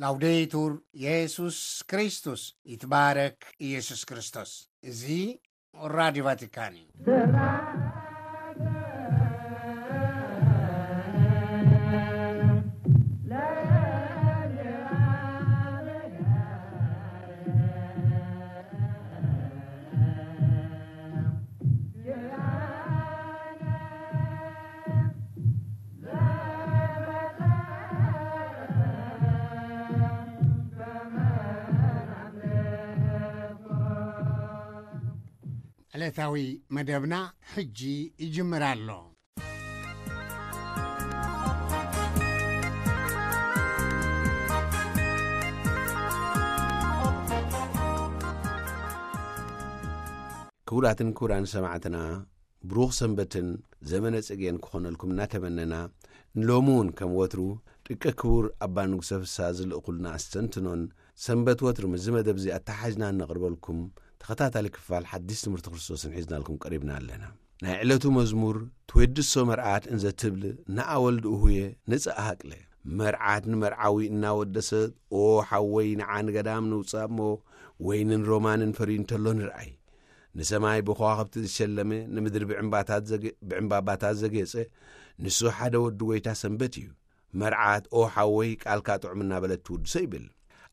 ላውዴቱር የሱስ ክርስቶስ፣ ይትባረክ ኢየሱስ ክርስቶስ። እዚ ራዲዮ ቫቲካን እዩ። ዕለታዊ መደብና ሕጂ ይጅምር ኣሎ። ክቡራትን ክቡራን ሰማዕትና፣ ብሩኽ ሰንበትን ዘመነ ጽጌን ክኾነልኩም እናተመነና፣ ንሎሚ እውን ከም ወትሩ ደቂ ክቡር ኣባ ንጉሰ ፍስሃ ዝልእኹልና ኣስተንትኖን፣ ሰንበት ወትሩ ምስዚ መደብ እዚ ኣተሓሕዝና እነቕርበልኩም ተኸታታሊ ክፋል ሓድሽ ትምህርቲ ክርስቶስን ሒዝናልኩም ቀሪብና ኣለና። ናይ ዕለቱ መዝሙር፣ ትዌድሶ መርዓት እንዘ ትብል ንኣወልድ እሁየ ንጽእ ሃቅለ። መርዓት ንመርዓዊ እናወደሰት፣ "ኦ ሓወይ፣ ንዓ ንገዳም ንውጻእ እሞ፣ ወይንን ሮማንን ፈርዩ እንተሎ ንርኣይ። ንሰማይ ብከዋኽብቲ ዝሸለመ፣ ንምድሪ ብዕምባታት ዘገ-፣ ብዕምባባታት ዘጌጸ፣ ንሱ ሓደ ወዲ ጐይታ ሰንበት እዩ። መርዓት፣ ኦ ሓወይ፣ ቃልካ ጥዑም እናበለት ትውድሶ" ይብል።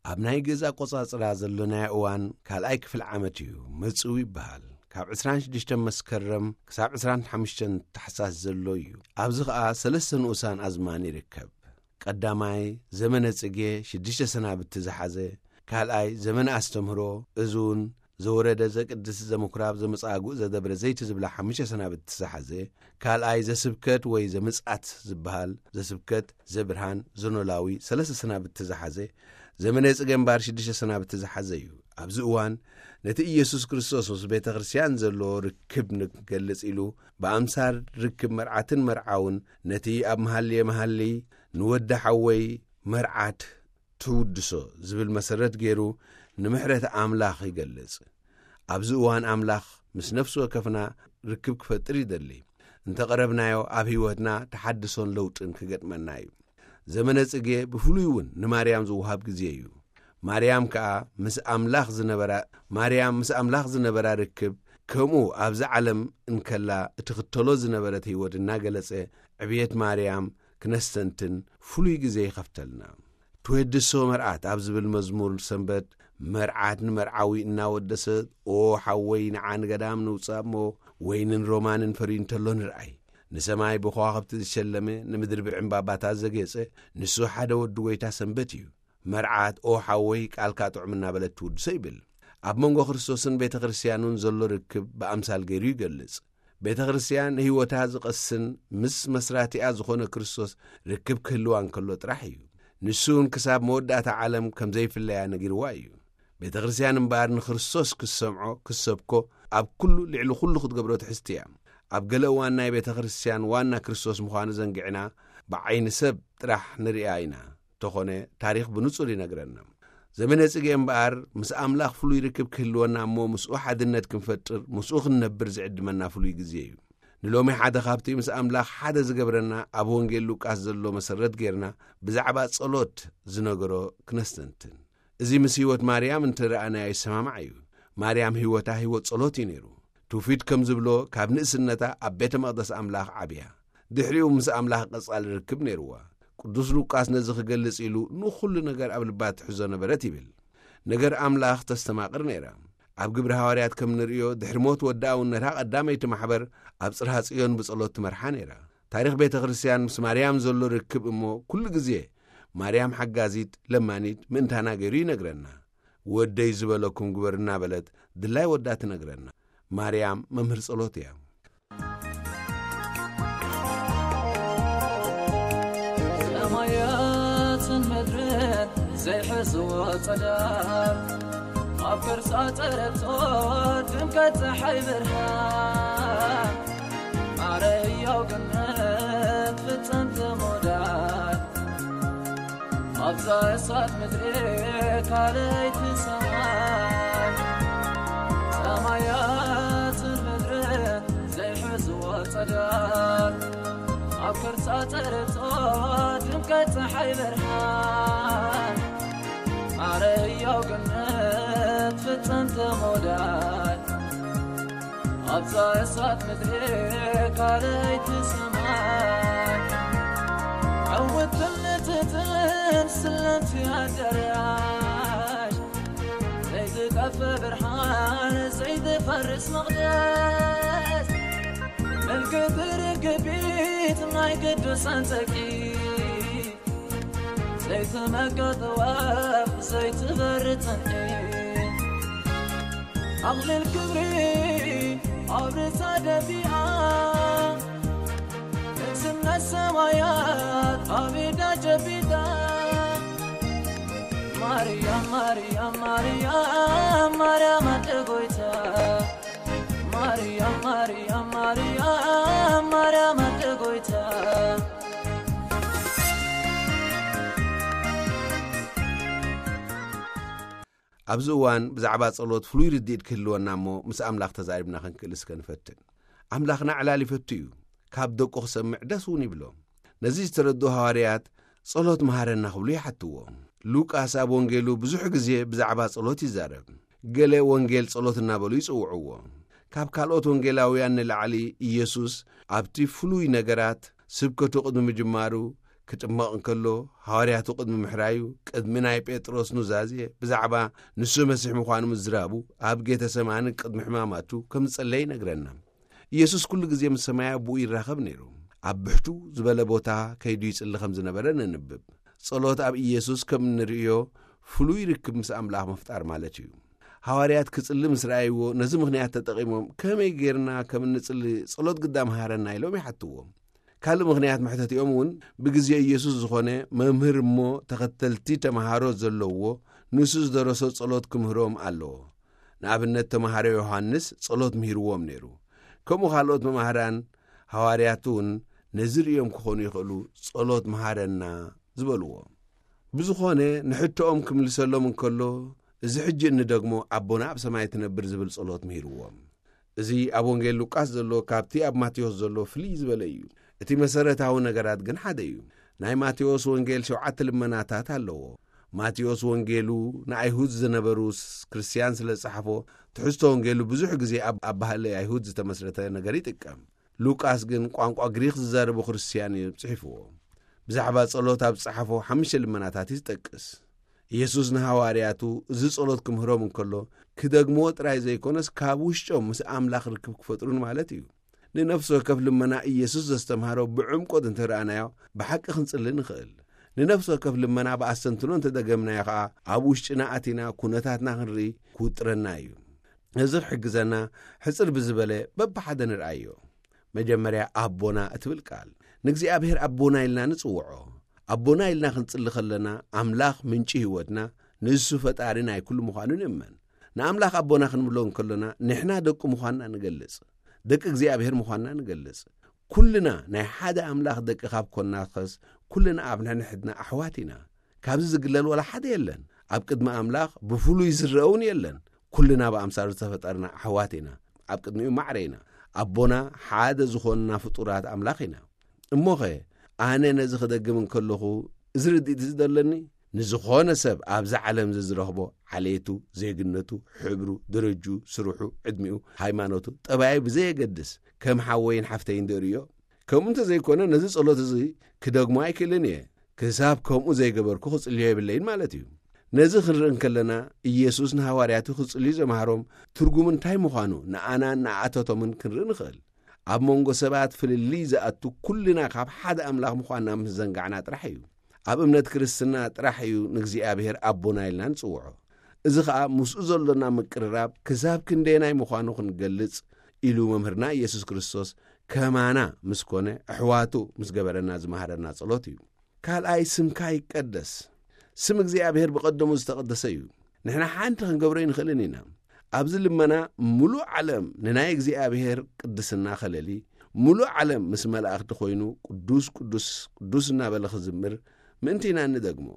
ኣብ ናይ ግእዝ ኣቆጻጽራ ዘሎ ናይ እዋን ካልኣይ ክፍሊ ዓመት እዩ፣ መጽው ይበሃል። ካብ ዕስራን ሽዱሽተን መስከረም ክሳብ ዕስራን ሓሙሽተን ታሕሳስ ዘሎ እዩ። ኣብዚ ኸኣ ሰለስተ ንኡሳን ኣዝማን ይርከብ። ቀዳማይ፣ ዘመነ ጽጌ ሽዱሽተ ሰናብቲ ዝሓዘ፣ ካልኣይ፣ ዘመነ ኣስተምህሮ፣ እዚ እውን ዘወረደ ዘቅድስ ዘምኩራብ ዘመጻጉእ ዘደብረ ዘይቲ ዝብላ ሓሙሽተ ሰናብቲ ዝሓዘ፣ ካልኣይ፣ ዘስብከት ወይ ዘምጽኣት ዝበሃል፣ ዘስብከት፣ ዘብርሃን፣ ዘኖላዊ፣ ሰለስተ ሰናብቲ ዝሓዘ፣ ዘመነ ጽጌ እምበኣር ሽዱሽተ ሰናብቲ ዝሓዘ እዩ። ኣብዚ እዋን ነቲ ኢየሱስ ክርስቶስ ምስ ቤተ ክርስቲያን ዘለዎ ርክብ ንክገልጽ ኢሉ፣ ብኣምሳል ርክብ መርዓትን መርዓውን፣ ነቲ ኣብ መሃልየ መሃሊ ንወዲ ሓወይ መርዓት ትውድሶ ዝብል መሰረት ገይሩ ንምሕረት ኣምላኽ ይገልጽ። ኣብዚ እዋን ኣምላኽ ምስ ነፍሲ ወከፍና ርክብ ክፈጥር ይደሊ። እንተቐረብናዮ ኣብ ህይወትና ተሓድሶን ለውጥን ክገጥመና እዩ። ዘመነ ጽጌ ብፍሉይ እውን ንማርያም ዝወሃብ ግዜ እዩ። ማርያም ከኣ ምስ ኣምላኽ ዝነበራ፣ ማርያም ምስ ኣምላኽ ዝነበራ ርክብ፣ ከምኡ ኣብዚ ዓለም እንከላ እትኽተሎ ዝነበረት ህይወት እናገለጸ፣ ዕብየት ማርያም ክነስተንትን ፍሉይ ግዜ ይኸፍተልና። ትዌድሶ መርዓት ኣብ ዝብል መዝሙር ሰንበት፣ መርዓት ንመርዓዊ እናወደሰት፣ "ኦ ሓወይ፣ ንዓ ንገዳም ንውጻእ እሞ፣ ወይንን ሮማንን ፈርዩ እንተሎ ንርኣይ። ንሰማይ ብከዋኽብቲ ዝሸለመ፣ ንምድሪ ብዕምባባታት ዘጌጸ፣ ንሱ ሓደ ወዲ ጐይታ ሰንበት እዩ። መርዓት፣ ኦ ሓወይ፣ ቃልካ ጥዑም" እናበለት ትውድሶ ይብል። ኣብ መንጎ ክርስቶስን ቤተ ክርስቲያኑን ዘሎ ርክብ ብኣምሳል ገይሩ ይገልጽ። ቤተ ክርስቲያን ንህይወታ ዝቐስን ምስ መስራቲኣ ዝኾነ ክርስቶስ ርክብ ክህልዋ እንከሎ ጥራሕ እዩ። ንሱ እውን ክሳብ መወዳእታ ዓለም ከም ዘይፍለያ ነጊርዋ እዩ። ቤተ ክርስቲያን እምበኣር ንክርስቶስ ክሰምዖ፣ ክሰብኮ፣ ኣብ ኩሉ፣ ልዕሊ ኩሉ ክትገብሮ ትሕዝቲ እያ። ኣብ ገለ እዋን ናይ ቤተ ክርስቲያን ዋና ክርስቶስ ምዃኑ ዘንጊዕና ብዓይኒ ሰብ ጥራሕ ንርእያ ኢና። ተኾነ ታሪኽ ብንጹር ይነግረና። ዘመነ ጽጌ እምበኣር ምስ ኣምላኽ ፍሉይ ርክብ ክህልወና እሞ ምስኡ ሓድነት ክንፈጥር፣ ምስኡ ክንነብር ዝዕድመና ፍሉይ ግዜ እዩ። ንሎሚ ሓደ ካብቲ ምስ ኣምላኽ ሓደ ዝገብረና ኣብ ወንጌል ሉቃስ ዘሎ መሰረት ጌርና ብዛዕባ ጸሎት ዝነገሮ ክነስተንትን። እዚ ምስ ህይወት ማርያም እንተ ረኣናዮ ይሰማማዕ እዩ። ማርያም ህይወታ ህይወት ጸሎት እዩ ነይሩ። ትውፊት ከም ዝብሎ ካብ ንእስነታ ኣብ ቤተ መቕደስ ኣምላኽ ዓብያ። ድሕሪኡ ምስ ኣምላኽ ቀጻሊ ርክብ ነይርዋ። ቅዱስ ሉቃስ ነዚ ክገልጽ ኢሉ ንኹሉ ነገር ኣብ ልባ ትሕዞ ነበረት ይብል። ነገር ኣምላኽ ተስተማቕር ነይራ። ኣብ ግብሪ ሃዋርያት ከም ንርእዮ ድሕሪ ሞት ወዲ ኣውነታ ቀዳመይቲ ማሕበር ኣብ ጽርሃ ጽዮን ብጸሎት ትመርሓ ነይራ። ታሪኽ ቤተ ክርስቲያን ምስ ማርያም ዘሎ ርክብ እሞ ኩሉ ግዜ ማርያም ሓጋዚት ለማኒት ምእንታና ገይሩ ይነግረና። "ወደይ ዝበለኩም ግበር" እናበለት ድላይ ወዳ ትነግረና። ማርያም መምህር ጸሎት እያ። ሰማያትን ምድርን ዘይሕዝዎ ጸዳል፣ ኣብ ቅርጻ ጸረቶ ድምቀት ጸሓይ ብርሃን፣ ማረ ህያው ግምት ፍጽምቲ ሞዳል፣ ኣብዛ እሳት ምድሪ ካልኣይቲ ሰማይ፣ ሰማያትን ምድርን ዘይሕዝዎ ጸዳል፣ ኣብ ቅርጻ ጸረቶ ድምቀት ጸሓይ ብርሃን፣ ጸንተ ሞዳል ኣብዛ እሳት ምድሪ ካልኣይቲ ሰማይ። ዕውትን ንትትን ስለምቲ ኣዳራሽ ዘይትጠፍእ ብርሃን ዘይትፈርስ መቕደስ። ምልክት ርግቢት ናይ ቅዱሳን ጸቂ ዘይትመቀጥ ወፍ ዘይትበር ጽንሒ። ኣኽሊል ክብሪ ኣብ ርእሳ ደፊኣ ንግስነት ሰማያት ኣብ ኢዳ ጨቢጣ። ማርያም ማርያም ማርያም ማርያም ኣደ ጎይታ። ማርያም ማርያም ማርያም ማርያም ኣደ ጎይታ። ኣብዚ እዋን ብዛዕባ ጸሎት ፍሉይ ርድኢት ክህልወና እሞ ምስ ኣምላኽ ተዛሪብና ክንክእል እስከ ንፈትን። ኣምላኽና ዕላል ይፈቱ እዩ። ካብ ደቁ ክሰምዕ ደስ እውን ይብሎ። ነዚ ዝተረድኡ ሃዋርያት ጸሎት መሃረና ክብሉ ይሓትዎ። ሉቃስ ኣብ ወንጌሉ ብዙሕ ግዜ ብዛዕባ ጸሎት ይዛረብ። ገለ ወንጌል ጸሎት እናበሉ ይጽውዕዎ። ካብ ካልኦት ወንጌላውያን ንላዕሊ ኢየሱስ ኣብቲ ፍሉይ ነገራት ስብከቱ ቅድሚ ምጅማሩ ክጥመቕ እንከሎ፣ ሃዋርያቱ ቅድሚ ምሕራዩ፣ ቅድሚ ናይ ጴጥሮስ ኑዛዜ ብዛዕባ ንሱ መሲሕ ምዃኑ ምዝራቡ፣ ኣብ ጌተሰማኒ ቅድሚ ሕማማቱ ከም ዝጸለየ ይነግረና። ኢየሱስ ኩሉ ግዜ ምስ ሰማይ ኣቦኡ ይራኸብ ነይሩ። ኣብ ብሕቱ ዝበለ ቦታ ከይዱ ይጽሊ ከም ዝነበረ ነንብብ። ጸሎት ኣብ ኢየሱስ ከም እንርእዮ ፍሉይ ርክብ ምስ ኣምላኽ ምፍጣር ማለት እዩ። ሃዋርያት ክጽሊ ምስ ረኣይዎ፣ ነዚ ምኽንያት ተጠቒሞም፣ "ከመይ ጌርና ከም እንጽሊ ጸሎት ግዳ መሃረና?" ኢሎም ይሓትዎ። ካልእ ምኽንያት መሕተቲኦም እውን ብግዜ ኢየሱስ ዝኾነ መምህር እሞ ተኸተልቲ ተምሃሮ ዘለውዎ ንሱ ዝደረሶ ጸሎት ክምህሮም ኣለዎ። ንኣብነት ተምሃሮ ዮሃንስ ጸሎት ምሂርዎም ነይሩ። ከምኡ ካልኦት መማህራን ሃዋርያት እውን ነዚ ርእዮም ክኾኑ ይኽእሉ ጸሎት መሃረና ዝበልዎ። ብዝኾነ ንሕቶኦም ክምልሰሎም እንከሎ እዚ ሕጂ እንደግሞ ኣቦና ኣብ ሰማይ ትነብር ዝብል ጸሎት ምሂርዎም። እዚ ኣብ ወንጌል ሉቃስ ዘሎ ካብቲ ኣብ ማቴዎስ ዘሎ ፍልይ ዝበለ እዩ። እቲ መሰረታዊ ነገራት ግን ሓደ እዩ። ናይ ማቴዎስ ወንጌል ሸውዓተ ልመናታት ኣለዎ። ማቴዎስ ወንጌሉ ንኣይሁድ ዝነበሩ ስ-፣ ክርስትያን ስለ ዝጸሓፎ፣ ትሕዝቶ ወንጌሉ ብዙሕ ግዜ ኣብ ኣባህለ ኣይሁድ ዝተመስረተ ነገር ይጥቀም። ሉቃስ ግን ቋንቋ ግሪኽ ዝዛረቡ ክርስትያን እዩ ጽሒፍዎ። ብዛዕባ ጸሎት ኣብ ዝጸሓፎ ሓሙሽተ ልመናታት ይጠቅስ። ኢየሱስ ንሃዋርያቱ እዚ ጸሎት ክምህሮም እንከሎ፣ ክደግምዎ ጥራይ ዘይኮነስ፣ ካብ ውሽጦም ምስ ኣምላኽ ርክብ ክፈጥሩን ማለት እዩ። ንነፍሲ ወከፍ ልመና ኢየሱስ ዘስተምሃሮ ብዕምቆት እንተ ረኣናዮ፣ ብሓቂ ክንጽሊ ንኽእል። ንነፍሲ ወከፍ ልመና ብኣስተንትኖ እንተ ደገምናዮ ኸኣ፣ ኣብ ውሽጥና ኣቲና ኩነታትና ክንርኢ ክውጥረና እዩ። እዚ ክሕግዘና፣ ሕጽር ብዝበለ በብሓደ ንርኣዮ። መጀመርያ ኣቦና እትብል ቃል፣ ንእግዚኣብሔር ኣቦና ኢልና ንጽውዖ። ኣቦና ኢልና ክንጽሊ ከለና፣ ኣምላኽ ምንጪ ህይወትና፣ ንሱ ፈጣሪ ናይ ኩሉ ምዃኑ ንእመን። ንኣምላኽ ኣቦና ክንብሎ እንከሎና፣ ንሕና ደቁ ምዃንና ንገልጽ። ደቂ እግዚኣብሔር ምዃንና ንገልጽ። ኩልና ናይ ሓደ ኣምላኽ ደቂ ካብ ኮንና ኸስ፣ ኩልና ኣብ ነንሕድና ኣሕዋት ኢና። ካብዚ ዝግለል ዋላ ሓደ የለን። ኣብ ቅድሚ ኣምላኽ ብፍሉይ ዝረአ እውን የለን። ኩልና ብኣምሳሉ ዝተፈጠርና ኣሕዋት ኢና። ኣብ ቅድሚኡ ማዕረ ኢና። ኣቦና ሓደ ዝኾንና ፍጡራት ኣምላኽ ኢና። እሞኸ፣ ኣነ ነዚ ክደግም እንከለኹ፣ እዚ ርድኢት እዚ ደለኒ? ንዝኾነ ሰብ ኣብዛ ዓለም እዚ ዝረኽቦ፣ ዓሌቱ፣ ዜግነቱ፣ ሕብሩ፣ ደረጅኡ፣ ስርሑ፣ ዕድሚኡ፣ ሃይማኖቱ፣ ጠባዩ ብዘየገድስ፣ ከም ሓወይን ሓፍተይን ደርእዮ? ከምኡ እንተ ዘይኮነ፣ ነዚ ጸሎት እዚ ክደግሞ ኣይክእልን እየ። ክሳብ ከምኡ ዘይገበርኩ ክጽልዮ የብለይን ማለት እዩ። ነዚ ክንርኢ እንከለና፣ ኢየሱስ ንሃዋርያቱ ክጽልዩ ዘምሃሮም ትርጉሙ እንታይ ምዃኑ ንኣናን ንኣቶቶምን ክንርኢ ንኽእል። ኣብ መንጎ ሰባት ፍልልይ ዝኣቱ ኩልና ካብ ሓደ ኣምላኽ ምዃንና ምስ ዘንጋዕና ጥራሕ እዩ። ኣብ እምነት ክርስትና ጥራሕ እዩ ንእግዚኣብሔር ኣቦና ኢልና ንጽውዖ። እዚ ኸኣ ምስኡ ዘሎና ምቅርራብ ክሳብ ክንደየናይ ምዃኑ ክንገልጽ ኢሉ መምህርና ኢየሱስ ክርስቶስ ከማና ምስ ኮነ፣ ኣሕዋቱ ምስ ገበረና ዝመሃረና ጸሎት እዩ። ካልኣይ፣ ስምካ ይቀደስ። ስም እግዚኣብሔር ብቐደሙ ዝተቐደሰ እዩ። ንሕና ሓንቲ ክንገብሮ ኣይንኽእልን ኢና። ኣብዚ ልመና፣ ምሉእ ዓለም ንናይ እግዚኣብሔር ቅድስና ከለሊ፣ ምሉእ ዓለም ምስ መላእኽቲ ኮይኑ፣ ቅዱስ፣ ቅዱስ፣ ቅዱስ እናበለ ክዝምር ምእንቲ ኢና እንደግሞ።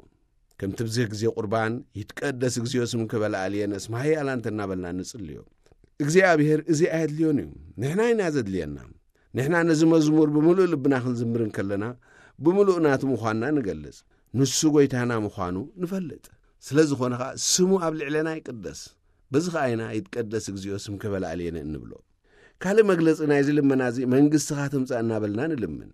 ከምቲ ብዝህ ግዜ ቁርባን፣ "ይትቀደስ እግዚኣብሔር ስምከ በላዕልየነ እስመ ኃያል ኣንተ" እናበልና ንጽልዮ። እግዚኣብሔር እዚ ኣየድልዮን እዩ። ንሕና ኢና ዘድልየና። ንሕና ነዚ መዝሙር ብምሉእ ልብና ክንዝምር እንከለና፣ ብምሉእ ናቱ ምዃንና ንገልጽ። ንሱ ጐይታና ምዃኑ ንፈልጥ። ስለ ዝኾነ ኸኣ፣ ስሙ ኣብ ልዕሌና ይቅደስ። በዚ ኸኣ ኢና ይትቀደስ እግዚኣብሔር ስምከ በላዕሌነ እንብሎ። ካልእ መግለጺ ናይዚ ልመና እዚ መንግስትኻ ትምጻእ እናበልና ንልምን።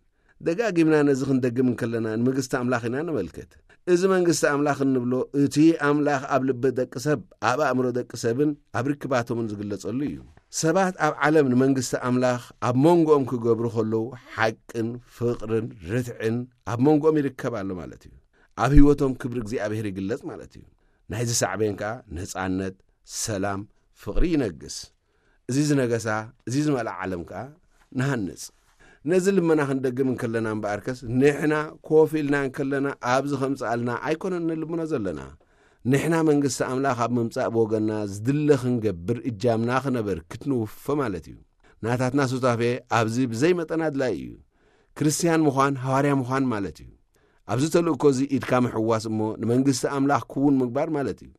ደጋጊምና ነዚ ክንደግም እንከለና ንመንግስቲ ኣምላኽ ኢና ነመልክት። እዚ መንግስቲ ኣምላኽ እንብሎ እቲ ኣምላኽ ኣብ ልቢ ደቂ ሰብ፣ ኣብ ኣእምሮ ደቂ ሰብን ኣብ ርክባቶምን ዝግለጸሉ እዩ። ሰባት ኣብ ዓለም ንመንግስቲ ኣምላኽ ኣብ መንጎኦም ክገብሩ ከለዉ ሓቅን ፍቕርን ርትዕን ኣብ መንጎኦም ይርከብ ኣሎ ማለት እዩ። ኣብ ህይወቶም ክብሪ እግዚኣብሔር ይግለጽ ማለት እዩ። ናይዚ ሳዕቤን ከኣ ነጻነት፣ ሰላም፣ ፍቕሪ ይነግስ። እዚ ዝነገሳ፣ እዚ ዝመልኣ ዓለም ከኣ ንሃንጽ። ነዚ ልመና ክንደግም እንከለና እምበኣርከስ ንሕና ኮፍ ኢልና እንከለና ኣብዚ ከምጽኣልና ኣይኮነን ንልምኖ ዘለና። ንሕና መንግስቲ ኣምላኽ ኣብ ምምጻእ ብወገንና ዝድለ ክንገብር እጃምና ክነበርክት ንውፎ ማለት እዩ። ናታትና ሱታፌ ኣብዚ ብዘይ መጠን ኣድላዪ እዩ። ክርስትያን ምዃን ሃዋርያ ምዃን ማለት እዩ። ኣብዚ ተልእኮ እዚ ኢድካ ምሕዋስ እሞ ንመንግስቲ ኣምላኽ ክውን ምግባር ማለት እዩ።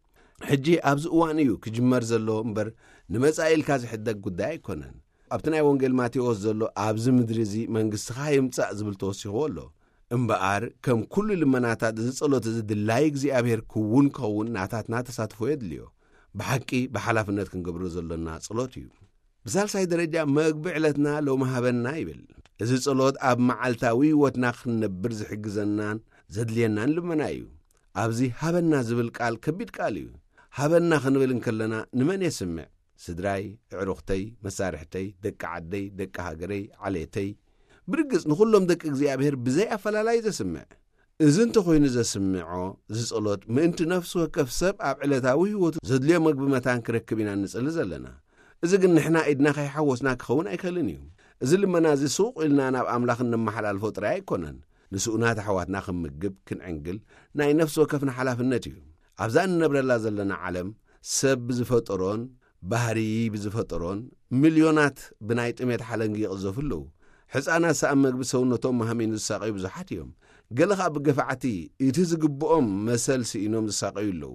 ሕጂ ኣብዚ እዋን እዩ ክጅመር ዘሎ እምበር ንመጻኢ ኢልካ ዝሕደግ ጉዳይ ኣይኮነን። ኣብቲ ናይ ወንጌል ማቴዎስ ዘሎ ኣብዚ ምድሪ እዚ መንግስትኻ ይምጻእ ዝብል ተወሲኽዎ ኣሎ። እምበኣር ከም ኩሉ ልመናታት እዚ ጸሎት እዚ ድላይ እግዚኣብሔር ክውን ክኸውን ናታትና ተሳትፎ የድልዮ። ብሓቂ ብሓላፍነት ክንገብሮ ዘሎና ጸሎት እዩ። ብሳልሳይ ደረጃ መግቢ ዕለትና ሎሚ ሃበና ይብል። እዚ ጸሎት ኣብ መዓልታዊ ህይወትና ክንነብር ዝሕግዘናን ዘድልየናን ልመና እዩ። ኣብዚ ሃበና ዝብል ቃል ከቢድ ቃል እዩ። ሃበና ክንብል እንከለና ንመን የስምዕ? ስድራይ፣ ኣዕሩኽተይ፣ መሳርሕተይ፣ ደቂ ዓደይ፣ ደቂ ሃገረይ፣ ዓሌተይ፣ ብርግጽ ንኹሎም ደቂ እግዚኣብሔር ብዘይ ኣፈላላይ ዘስምዕ። እዚ እንተኾይኑ ዘስምዖ፣ እዚ ጸሎት ምእንቲ ነፍሲ ወከፍ ሰብ ኣብ ዕለታዊ ህይወቱ ዘድልዮ መግቢ መታን ክረክብ ኢና ንጽሊ ዘለና። እዚ ግን ንሕና ኢድና ከይሓወስና ክኸውን ኣይክእልን እዩ። እዚ ልመና እዚ ሱቕ ኢልና ናብ ኣምላኽ እነመሓላልፎ ጥራይ ኣይኮነን። ንስኡናት ኣሕዋትና ክንምግብ፣ ክንዕንግል ናይ ነፍሲ ወከፍና ሓላፍነት እዩ። ኣብዛ እንነብረላ ዘለና ዓለም ሰብ ብዝፈጠሮን ባህሪ ብዝፈጠሮን ሚልዮናት ብናይ ጥሜት ሓለንጊ ይቕዘፉ ኣለዉ። ሕፃናት ሰኣን መግቢ ሰውነቶም መሃሚኑ ዝሳቐዩ ብዙሓት እዮም። ገለ ኸኣ ብገፋዕቲ እቲ ዝግብኦም መሰል ስኢኖም ዝሳቐዩ ኣለዉ።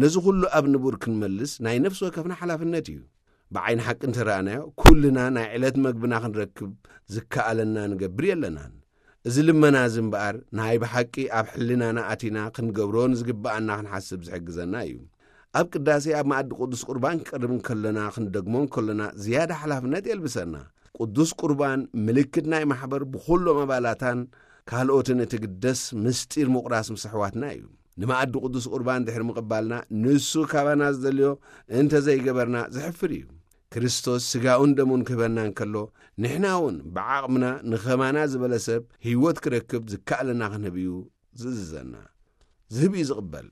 ነዚ ኹሉ ኣብ ንቡር ክንመልስ ናይ ነፍሲ ወከፍና ሓላፍነት እዩ። ብዓይኒ ሓቂ እንተረኣናዮ፣ ኩልና ናይ ዕለት መግብና ክንረክብ ዝከኣለና ንገብር የለናን። እዚ ልመና እዚ እምበኣር ናይ ብሓቂ ኣብ ሕልናና ኣቲና ክንገብሮ ንዝግብኣና ክንሓስብ ዝሕግዘና እዩ። ኣብ ቅዳሴ ኣብ መኣዲ ቅዱስ ቁርባን ክቀርብ እንከለና ክንደግሞ እንከለና ዝያዳ ሓላፍነት የልብሰና። ቅዱስ ቁርባን ምልክት ናይ ማሕበር ብኹሎም ኣባላታን ካልኦትን እትግደስ ምስጢር ምቑራስ ምስ ኣሕዋትና እዩ። ንመኣዲ ቅዱስ ቁርባን ድሕሪ ምቕባልና ንሱ ካባና ዝደልዮ እንተ ዘይገበርና ዘሕፍር እዩ። ክርስቶስ ስጋኡን ደሙን ክህበና እንከሎ ንሕና እውን ብዓቕምና ንኸማና ዝበለ ሰብ ህይወት ክረክብ ዝከኣለና ክንህብ እዩ ዝእዝዘና። ዝህብ እዩ ዝቕበል።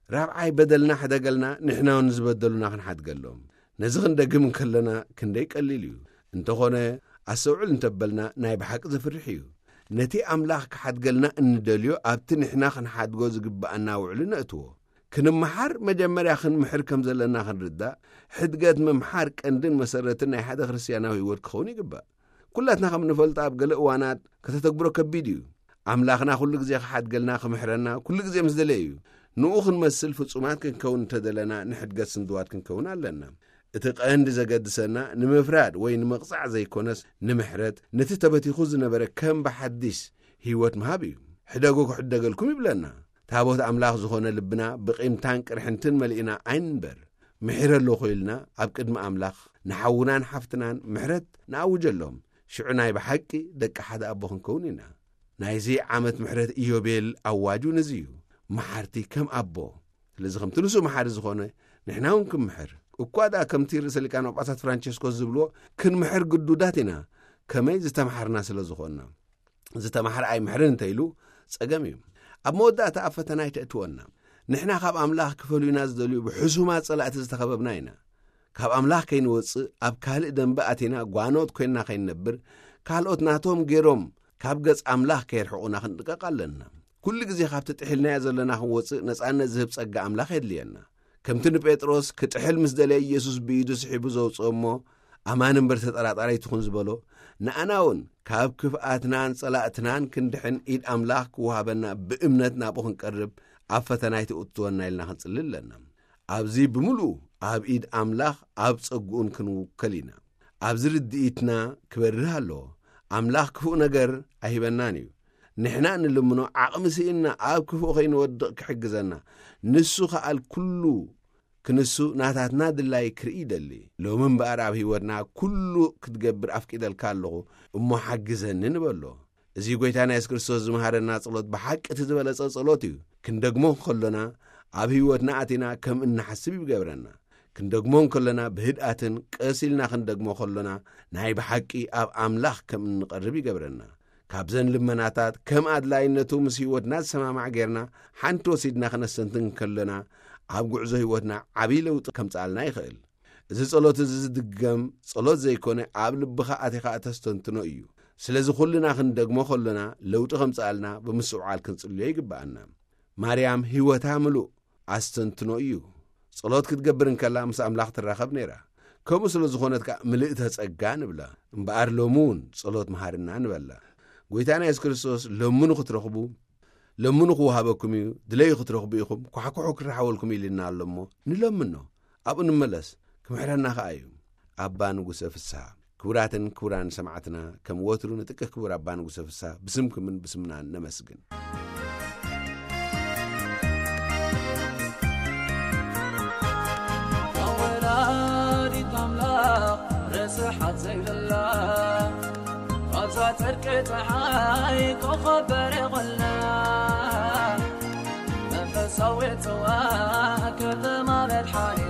ራብዓይ በደልና ሕደገልና ንሕና እውን ዝበደሉና ክንሓድገሎም። ነዚ ክንደግም እንከለና ክንደይ ቀሊል እዩ። እንተኾነ ኣስተውዕል እንተበልና ናይ ብሓቂ ዘፍርሕ እዩ። ነቲ ኣምላኽ ክሓድገልና እንደልዮ ኣብቲ ንሕና ክንሓድጎ ዝግብኣና ውዕሊ ነእትዎ። ክንመሓር መጀመርያ ክንምሕር ከም ዘለና ክንርዳእ፣ ሕድገት ምምሓር ቀንድን መሰረትን ናይ ሓደ ክርስትያናዊ ህይወት ክኸውን ይግባእ። ኩላትና ከም ንፈልጦ ኣብ ገለ እዋናት ከተተግብሮ ከቢድ እዩ። ኣምላኽና ኩሉ ግዜ ክሓድገልና ክምሕረና ኩሉ ግዜ ምስ ደለየ እዩ። ንኡ ክንመስል ፍጹማት ክንከውን እንተደለና ንሕድገት ስንድዋት ክንከውን ኣለና። እቲ ቀንዲ ዘገድሰና ንምፍራድ ወይ ንምቕጻዕ ዘይኮነስ ንምሕረት ነቲ ተበቲኹ ዝነበረ ከም ብሓዲስ ህይወት ምሃብ እዩ። ሕደጉ ክሕደገልኩም ይብለና። ታቦት ኣምላኽ ዝኾነ ልብና ብቂምታን ቅርሕንትን መሊእና ኣይንንበር። ምሒረ ኣለኹ ኢልና ኣብ ቅድሚ ኣምላኽ ንሓውናን ሓፍትናን ምሕረት ንኣውጀሎም። ሽዑ ናይ ብሓቂ ደቂ ሓደ ኣቦ ክንከውን ኢና። ናይዚ ዓመት ምሕረት ኢዮቤል ኣዋጁ ነዚ እዩ። መሓርቲ ከም ኣቦ። ስለዚ ከምቲ ንሱ መሓሪ ዝኾነ ንሕና እውን ክንምሕር። እኳ ደኣ ከምቲ ርእሰ ሊቃነ ጳጳሳት ፍራንቸስኮስ ዝብልዎ ክንምሕር ግዱዳት ኢና። ከመይ ዝተምሓርና ስለ ዝኾንና። ዝተማሕረ ኣይምሕርን እንተ ኢሉ ጸገም እዩ። ኣብ መወዳእታ ኣብ ፈተና ኣይተእትወና። ንሕና ካብ ኣምላኽ ክፈልዩና ዝደልዩ ብሕሱማት ጸላእቲ ዝተኸበብና ኢና። ካብ ኣምላኽ ከይንወጽእ ኣብ ካልእ ደንበ ኣቲና ጓኖት ኮይንና ከይንነብር ካልኦት ናቶም ገይሮም ካብ ገጽ ኣምላኽ ከየርሕቑና ክንጥቀቕ ኣለና። ኩሉ ግዜ ካብቲ ጥሒልናዮ ዘለና ክንወጽእ ነጻነት ዝህብ ጸጋ ኣምላኽ የድልየና። ከምቲ ንጴጥሮስ ክጥሕል ምስ ደለየ ኢየሱስ ብኢዱ ስሒቡ ዘውጽኦ እሞ ኣማን እምበር ተጠራጣሪ ኣይትኹን ዝበሎ፣ ንኣና እውን ካብ ክፍኣትናን ጸላእትናን ክንድሕን ኢድ ኣምላኽ ክወሃበና ብእምነት ናብኡ ክንቀርብ ኣብ ፈተና ኣይትእትወና ኢልና ክንጽሊ ኣለና። ኣብዚ ብምሉኡ ኣብ ኢድ ኣምላኽ ኣብ ጸግኡን ክንውከል ኢና። ኣብዚ ርድኢትና ክበርህ ኣለዎ። ኣምላኽ ክፉእ ነገር ኣይህበናን እዩ። ንሕና እንልምኖ ዓቕሚ ስኢንና ኣብ ክፉእ ከይንወድቕ ክሕግዘና፣ ንሱ ከኣል ኩሉ ክንሱ ናታትና ድላይ ክርኢ ይደሊ። ሎሚ እምበኣር ኣብ ህይወትና ኩሉ ክትገብር ኣፍቂደልካ ኣለኹ፣ እሞ ሓግዘኒ ንበሎ። እዚ ጎይታና የሱስ ክርስቶስ ዝመሃረና ጸሎት ብሓቂ እቲ ዝበለጸ ጸሎት እዩ። ክንደግሞ ከሎና ኣብ ህይወትና ኣቲና ከም እንሓስብ ይገብረና። ክንደግሞ ከሎና ብህድኣትን ቀስ ኢልና ክንደግሞ ከሎና ናይ ብሓቂ ኣብ ኣምላኽ ከም እንቐርብ ይገብረና። ካብዘን ልመናታት ከም ኣድላይነቱ ምስ ህይወትና ዝሰማማዕ ጌርና ሓንቲ ወሲድና ክነስተንትን ከሎና ኣብ ጉዕዞ ህይወትና ዓብዪ ለውጢ ከምጽኣልና ይኽእል። እዚ ጸሎት እዚ ዝድገም ጸሎት ዘይኮነ ኣብ ልብኻ ኣቲኻ እተስተንትኖ እዩ። ስለዚ ኩልና ክንደግሞ ከሎና ለውጢ ከምጽኣልና ብምስውዓል ክንጽልዮ ይግብኣና። ማርያም ህይወታ ምሉእ ኣስተንትኖ እዩ። ጸሎት ክትገብር እንከላ ምስ ኣምላኽ ትራኸብ ነይራ። ከምኡ ስለ ዝኾነት ከኣ ምልእተ ጸጋ ንብላ። እምበኣር ሎሚ እውን ጸሎት መሃርና ንበላ። ጎይታና የሱስ ክርስቶስ ለምኑ ክትረኽቡ፣ ለምኑ ክወሃበኩም እዩ፣ ድለዩ ክትረኽቡ ኢኹም፣ ኳሕኩሑ ክረሓወልኩም ኢልና ኣሎ እሞ ንለምኖ። ኣብኡ ንመለስ፣ ክምሕረና ከኣ እዩ። ኣባ ንጉሰ ፍስሃ። ክቡራትን ክቡራን ሰማዕትና፣ ከም ወትሩ ንጥቅህ ክቡር ኣባ ንጉሰ ፍስሃ ብስምኩምን ብስምናን ነመስግን። ወላዲት ኣምላኽ ርስሓት ዘይብላ፣ ኣብዛ ጽድቂ ጸሓይ ኮኸብ በሪቑልና፣ መንፈሳዊት ጽዋ ከተማ መድሓኒ፣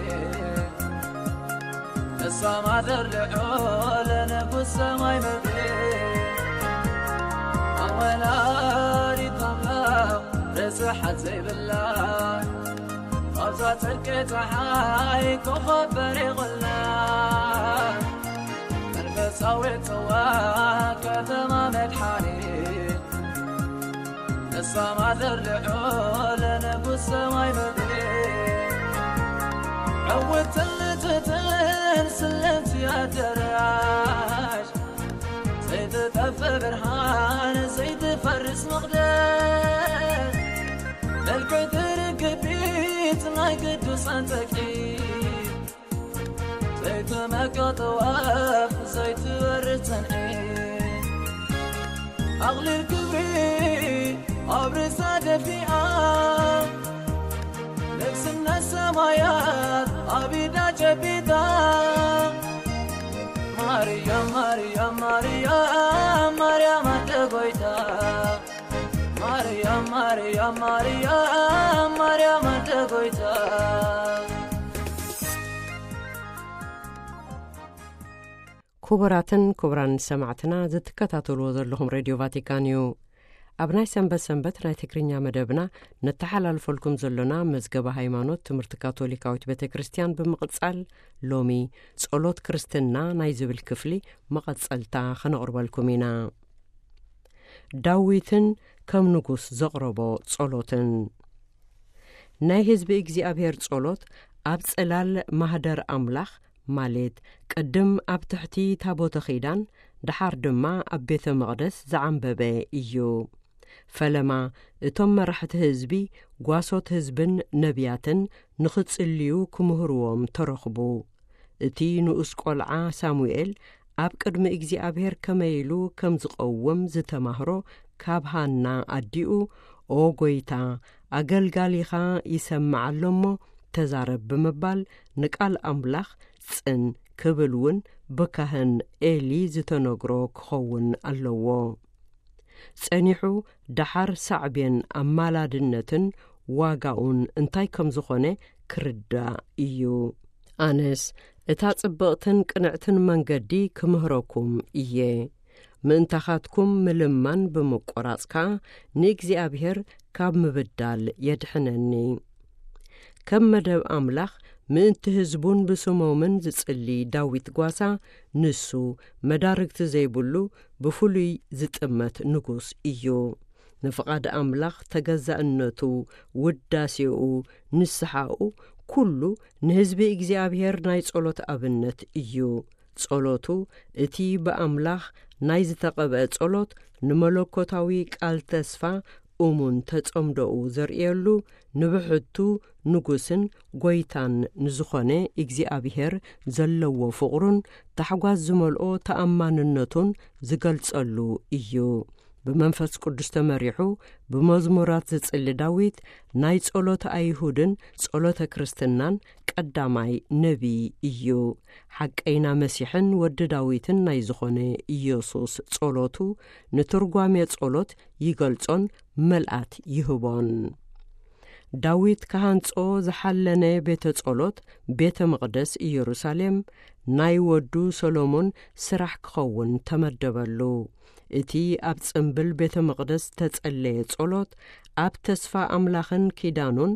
ንሳ ማደር ልዑል ንጉስ ሰማይ ምድሪ፣ ኣወላዲት ኣምላኽ ርስሓት ዘይብላ፣ ኣብዛ ጽድቂ ጸሓይ ኮኸብ በሪቑልና፣ መንፈሳዊት ጽዋ ከተማ መድሓኒ፣ ንሳ ማደር ልዑል ንጉስ ሰማይ ምድሪ፣ ዕውትን ልትትን ስለምቲ ኣደራሽ፣ ዘይትጠፍእ ብርሃን ዘይትፈርስ መቕደስ፣ መልክዕቲ ርግቢት ናይ ቅዱሳን ጸቂ፣ ዘይትመቅጥ ወፍ ዘይትወርድ ጽንዒ፣ ኣቕሊል ክብሪ ኣብ ርእሳ ደፊኣ፣ ንግስነት ሰማያት ኣብ ኢዳ ጨቢጣ። ማርያም፣ ማርያም፣ ማርያም፣ ማርያም ኣደ ጎይታ። ማርያም፣ ማርያም፣ ማርያም፣ ማርያም ኣደ ጎይታ። ክቡራትን ክቡራን ሰማዕትና፣ ዝትከታተልዎ ዘለኹም ሬድዮ ቫቲካን እዩ። ኣብ ናይ ሰንበት ሰንበት ናይ ትግርኛ መደብና ነተሓላልፈልኩም ዘሎና መዝገበ ሃይማኖት ትምህርቲ ካቶሊካዊት ቤተ ክርስቲያን ብምቕጻል፣ ሎሚ ጸሎት ክርስትና ናይ ዝብል ክፍሊ መቐጸልታ ከነቕርበልኩም ኢና። ዳዊትን ከም ንጉስ ዘቕረቦ ጸሎትን። ናይ ህዝቢ እግዚኣብሔር ጸሎት ኣብ ጽላል ማህደር ኣምላኽ፣ ማለት ቅድም ኣብ ትሕቲ ታቦተ ኺዳን፣ ደሓር ድማ ኣብ ቤተ መቕደስ ዝዓንበበ እዩ። ፈለማ እቶም መራሕቲ ህዝቢ፣ ጓሶት ህዝብን ነቢያትን ንኽጽልዩ ክምህርዎም ተረኽቡ። እቲ ንኡስ ቈልዓ ሳሙኤል ኣብ ቅድሚ እግዚኣብሔር ከመይ ኢሉ ከም ዝቐውም ዝተማህሮ ካብ ሃና ኣዲኡ፣ "ኦ ጐይታ፣ ኣገልጋሊኻ ይሰምዕ ኣሎ እሞ ተዛረብ" ብምባል ንቃል ኣምላኽ ጽን ክብል እውን ብካህን ኤሊ ዝተነግሮ ክኸውን ኣለዎ። ጸኒሑ ደሓር ሳዕቤን ኣማላድነትን ዋጋኡን እንታይ ከም ዝኾነ ክርዳእ እዩ። ኣነስ እታ ጽብቕትን ቅንዕትን መንገዲ ክምህረኩም እየ። ምእንታኻትኩም ምልማን ብምቁራጽ ከኣ ንእግዚኣብሔር ካብ ምብዳል የድሕነኒ። ከም መደብ ኣምላኽ ምእንቲ ህዝቡን ብስሞምን ዝጽሊ ዳዊት ጓሳ፣ ንሱ መዳርግቲ ዘይብሉ ብፍሉይ ዝጥመት ንጉስ እዩ። ንፍቓድ ኣምላኽ ተገዛእነቱ፣ ውዳሴኡ፣ ንስሓኡ፣ ኩሉ ንህዝቢ እግዚኣብሔር ናይ ጸሎት ኣብነት እዩ። ጸሎቱ፣ እቲ ብኣምላኽ ናይ ዝተቐብአ ጸሎት፣ ንመለኮታዊ ቃል ተስፋ እሙን ተጸምዶኡ ዘርእየሉ፣ ንብሕቱ ንጉስን ጐይታን ንዝኾነ እግዚኣብሔር ዘለዎ ፍቕሩን ታሕጓስ ዝመልኦ ተኣማንነቱን ዝገልጸሉ እዩ። ብመንፈስ ቅዱስ ተመሪሑ ብመዝሙራት ዝጽሊ ዳዊት ናይ ጸሎተ ኣይሁድን ጸሎተ ክርስትናን ቀዳማይ ነቢይ እዩ። ሓቀይና መሲሕን ወዲ ዳዊትን ናይ ዝኾነ ኢየሱስ ጸሎቱ ንትርጓሜ ጸሎት ይገልጾን መልኣት ይህቦን። ዳዊት ክሃንጾ ዝሓለነ ቤተ ጸሎት፣ ቤተ መቕደስ ኢየሩሳሌም፣ ናይ ወዱ ሰሎሞን ስራሕ ክኸውን ተመደበሉ። እቲ ኣብ ጽምብል ቤተ መቕደስ ዝተጸለየ ጸሎት፣ ኣብ ተስፋ ኣምላኽን ኪዳኑን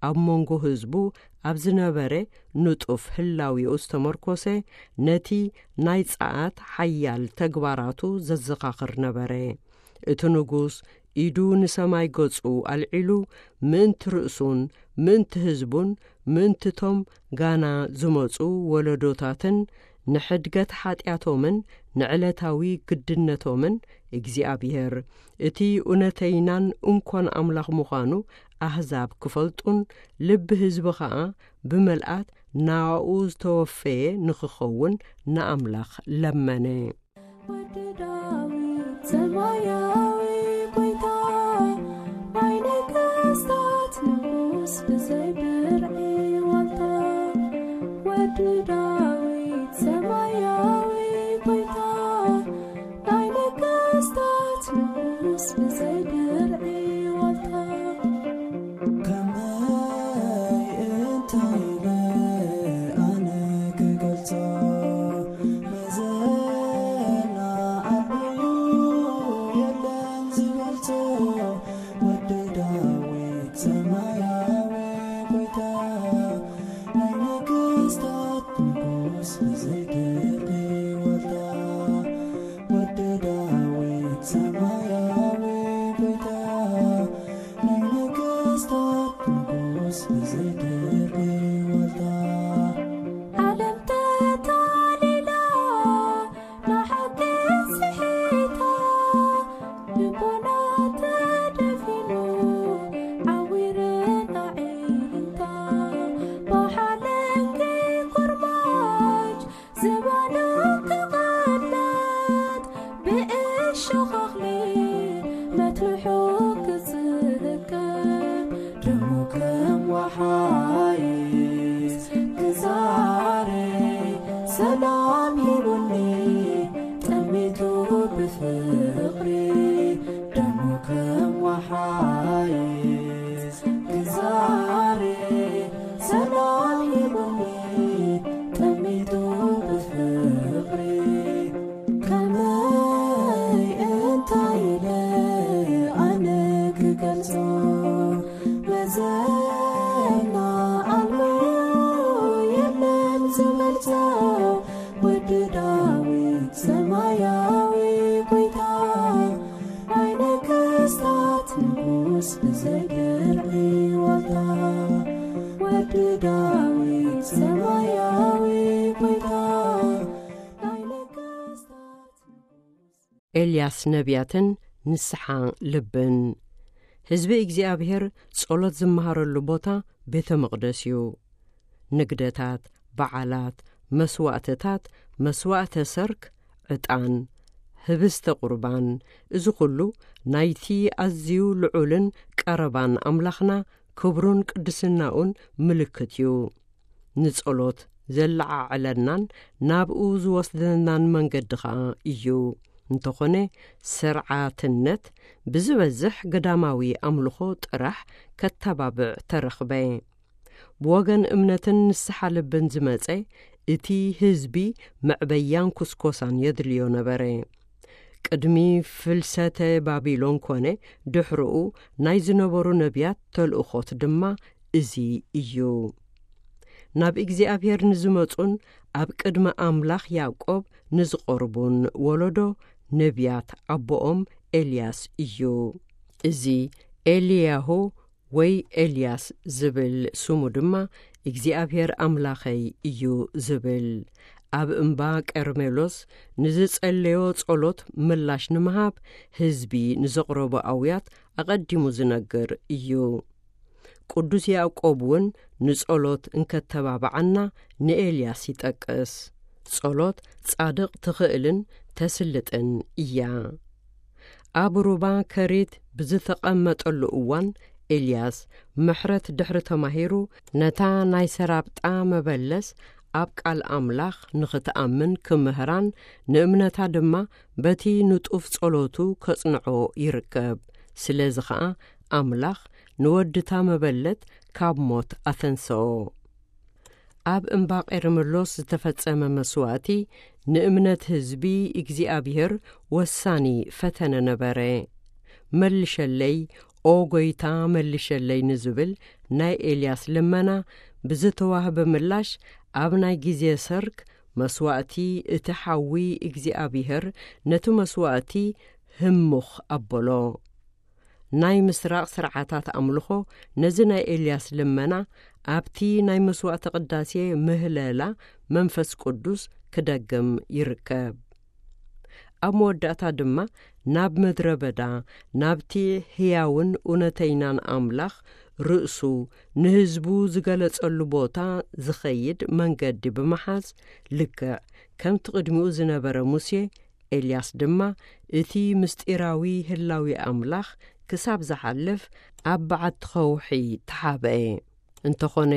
ኣብ መንጎ ህዝቡ ኣብ ዝነበረ ንጡፍ ህላዊኡ ዝተመርኮሰ፣ ነቲ ናይ ጸዓት ሓያል ተግባራቱ ዘዘኻኽር ነበረ። እቲ ንጉስ ኢዱ ንሰማይ ገጹ ኣልዒሉ፣ ምእንቲ ርእሱን ምእንቲ ህዝቡን ምእንቲ ቶም ጋና ዝመጹ ወለዶታትን ንሕድገት ሓጢኣቶምን ንዕለታዊ ግድነቶምን እግዚኣብሔር እቲ እውነተይናን እንኮን ኣምላኽ ምዃኑ ኣህዛብ ክፈልጡን ልቢ ህዝቢ ኸኣ ብመልኣት ናኡ ዝተወፈየ ንኽኸውን ንኣምላኽ ለመነ። ወዲ ዳዊት ሰማያዊ ጎይታ፣ ናይ ነገስታት ንጉስ ብዘይ ብርዒ ዋልታ። ወዲ ዳዊት ሰማያዊ ጎይታ፣ ናይ ነገስታት ንጉስ ብዘይ ብርዒ ዋልታ። ከመይ እንታይ ኢለ ኣነ ክገልጾ? መዘና ዓብዩ የለን ዝበልጾ። ወዲ ዳዊት ሰማያዊ ጎይታ፣ ናይ ነገስታት ንጉስ ብዘይ ድርቂ ዋልታ። ወዲ ዳዊት ሰማያዊ ጎይታ፣ ናይ ነገስታት ንጉስ ብዘይ ድርቂ ዋልታ። ዓለም ተታሊላ፣ ንሓቂ ስሒታ፣ ልቦና ተደፊኑ፣ ዓዊረን ኣዒንታ። ብሓለንጊ ኩርማጅ ዝባኑ ክቕለጥ፣ ብእሾኽ ኣኽሊል መትርሑ ክጽቀ። ደሙ ከም ወሓይዝ ክዛረይ ሰላም ሂቡኒ፣ ጠሚቱ ብፍቕሪ። ደሙ ከም ወሓይዝ ክዛረይ ሰላም ሂቡኒ፣ ጠሚቱ ብፍቕሪ። ከመይ እንታይ ኢለ ኣነ ክገልጾ? መዘና ኣልቦ የለን ዝበልጾ። ወዲ ዳዊት ሰማያዊ ጎይታ፣ ናይ ነገስታት ንጉስ ብዘይ ድርዒ ዋልታ። ወዲ ዳዊት ሰማያዊ ጎይታ፣ ናይ ነገስታት ንጉስ። ኤልያስ ነቢያትን ንስሓ ልብን። ህዝቢ እግዚኣብሔር ጸሎት ዝመሃረሉ ቦታ ቤተ መቕደስ እዩ። ንግደታት፣ በዓላት፣ መስዋእትታት፣ መስዋእተ ሰርክ፣ ዕጣን፣ ህብስተ ቁርባን፣ እዚ ኹሉ ናይቲ ኣዝዩ ልዑልን ቀረባን ኣምላኽና ክብሩን ቅድስናኡን ምልክት እዩ። ንጸሎት ዘለዓዕለናን ናብኡ ዝወስደናን መንገዲ ኸኣ እዩ። እንተኾነ፣ ስርዓትነት ብዝበዝሕ ገዳማዊ ኣምልኾ ጥራሕ ከተባብዕ ተረኽበ። ብወገን እምነትን ንስሓ ልብን ዝመጸ እቲ ህዝቢ መዕበያን ኩስኮሳን የድልዮ ነበረ። ቅድሚ ፍልሰተ ባቢሎን ኮነ ድሕርኡ ናይ ዝነበሩ ነቢያት ተልእኾት ድማ እዚ እዩ። ናብ እግዚኣብሔር ንዝመጹን ኣብ ቅድሚ ኣምላኽ ያዕቆብ ንዝቐርቡን ወለዶ ነቢያት ኣቦኦም ኤልያስ እዩ። እዚ ኤልያሁ ወይ ኤልያስ ዝብል ስሙ ድማ እግዚኣብሔር ኣምላኸይ እዩ ዝብል። ኣብ እምባ ቀርሜሎስ ንዝጸለዮ ጸሎት ምላሽ ንምሃብ ህዝቢ ንዘቕረቦ ኣውያት ኣቐዲሙ ዝነግር እዩ። ቅዱስ ያዕቆብ እውን ንጸሎት እንከተባብዓና ንኤልያስ ይጠቅስ። ጸሎት ጻድቕ ትኽእልን ተስልጥን እያ። ኣብ ሩባ ከሪት ብዝተቐመጠሉ እዋን፣ ኤልያስ ምሕረት ድሕሪ ተማሂሩ፣ ነታ ናይ ሰራብጣ መበለስ ኣብ ቃል ኣምላኽ ንኽትኣምን ክምህራን፣ ንእምነታ ድማ በቲ ንጡፍ ጸሎቱ ከጽንዖ ይርከብ። ስለዚ ኸኣ ኣምላኽ ንወድታ መበለት ካብ ሞት ኣተንሰኦ። ኣብ እምባቄ ርምሎስ ዝተፈጸመ መስዋእቲ ንእምነት ህዝቢ እግዚኣብሔር ወሳኒ ፈተነ ነበረ። "መልሸለይ፣ ኦ ጎይታ፣ መልሸለይ" ንዝብል ናይ ኤልያስ ልመና ብዝተዋህበ ምላሽ፣ ኣብ ናይ ግዜ ሰርክ መስዋእቲ እቲ ሓዊ እግዚኣብሔር ነቲ መስዋእቲ ህምኽ ኣበሎ። ናይ ምስራቕ ስርዓታት ኣምልኾ ነዚ ናይ ኤልያስ ልመና ኣብቲ ናይ መስዋእቲ ቅዳሴ ምህለላ መንፈስ ቅዱስ ክደግም ይርከብ። ኣብ መወዳእታ ድማ ናብ ምድረ በዳ፣ ናብቲ ህያውን እውነተይናን ኣምላኽ ርእሱ ንህዝቡ ዝገለጸሉ ቦታ ዝኸይድ መንገዲ ብምሓዝ፣ ልክዕ ከምቲ ቅድሚኡ ዝነበረ ሙሴ፣ ኤልያስ ድማ እቲ ምስጢራዊ ህላዊ ኣምላኽ ክሳብ ዝሓልፍ ኣብ በዓቲ ኸውሒ ተሓብአ። እንተኾነ፣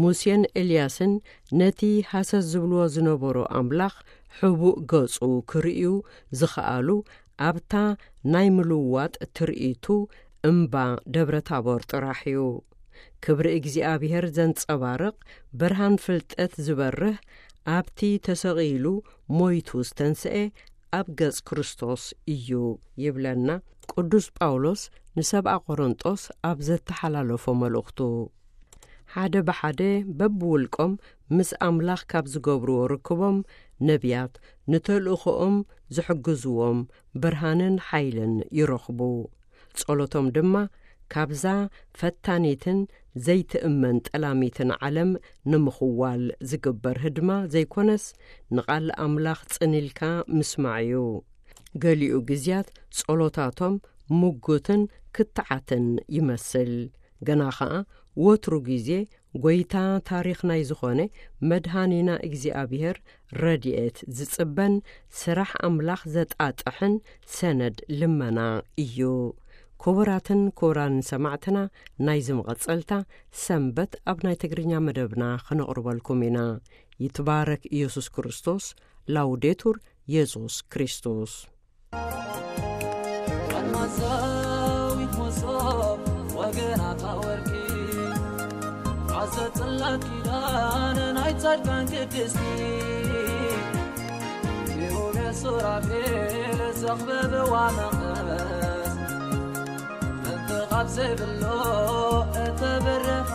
ሙሴን ኤልያስን ነቲ ሃሰስ ዝብልዎ ዝነበሩ ኣምላኽ ሕቡእ ገጹ ክርእዩ ዝኸኣሉ ኣብታ ናይ ምልዋጥ ትርኢቱ እምባ ደብረ ታቦር ጥራሕ እዩ። ክብሪ እግዚኣብሔር ዘንጸባርቕ ብርሃን ፍልጠት ዝበርህ፣ ኣብቲ ተሰቒሉ ሞይቱ ዝተንስኤ ኣብ ገጽ ክርስቶስ እዩ ይብለና ቅዱስ ጳውሎስ ንሰብኣ ቆሮንጦስ ኣብ ዘተሓላለፎ መልእኽቱ። ሓደ ብሓደ በብውልቆም ምስ ኣምላኽ ካብ ዝገብርዎ ርክቦም፣ ነቢያት ንተልእኾኦም ዝሕግዝዎም ብርሃንን ሓይልን ይረኽቡ። ጸሎቶም ድማ ካብዛ ፈታኒትን ዘይትእመን ጠላሚትን ዓለም ንምኽዋል ዝግበር ህድማ ዘይኮነስ፣ ንቓል ኣምላኽ ጽን ኢልካ ምስማዕ እዩ። ገሊኡ ግዝያት ጸሎታቶም ምጉትን ክትዓትን ይመስል። ገና ኸኣ ወትሩ ግዜ ጐይታ ታሪኽ ናይ ዝኾነ መድሃኒና እግዚኣብሔር ረድኤት ዝጽበን ስራሕ ኣምላኽ ዘጣጥሕን ሰነድ ልመና እዩ። ክቡራትን ክቡራንን ሰማዕትና፣ ናይዚ መቐጸልታ ሰንበት ኣብ ናይ ትግርኛ መደብና ክነቕርበልኩም ኢና። ይትባረክ ኢየሱስ ክርስቶስ። ላውዴቱር ኢየሱስ ክርስቶስ። ቀማዛዊት መሶብ ወገናታ ወርቂ፣ ዓዘ ጽላት ኪዳን ናይ ጻድቃን ቅድስቲ፣ ኪሩቤል ሱራፌል ዘኽበብዋ መቕደስ፣ ምትኻፍ ዘይብሎ እተበረኻ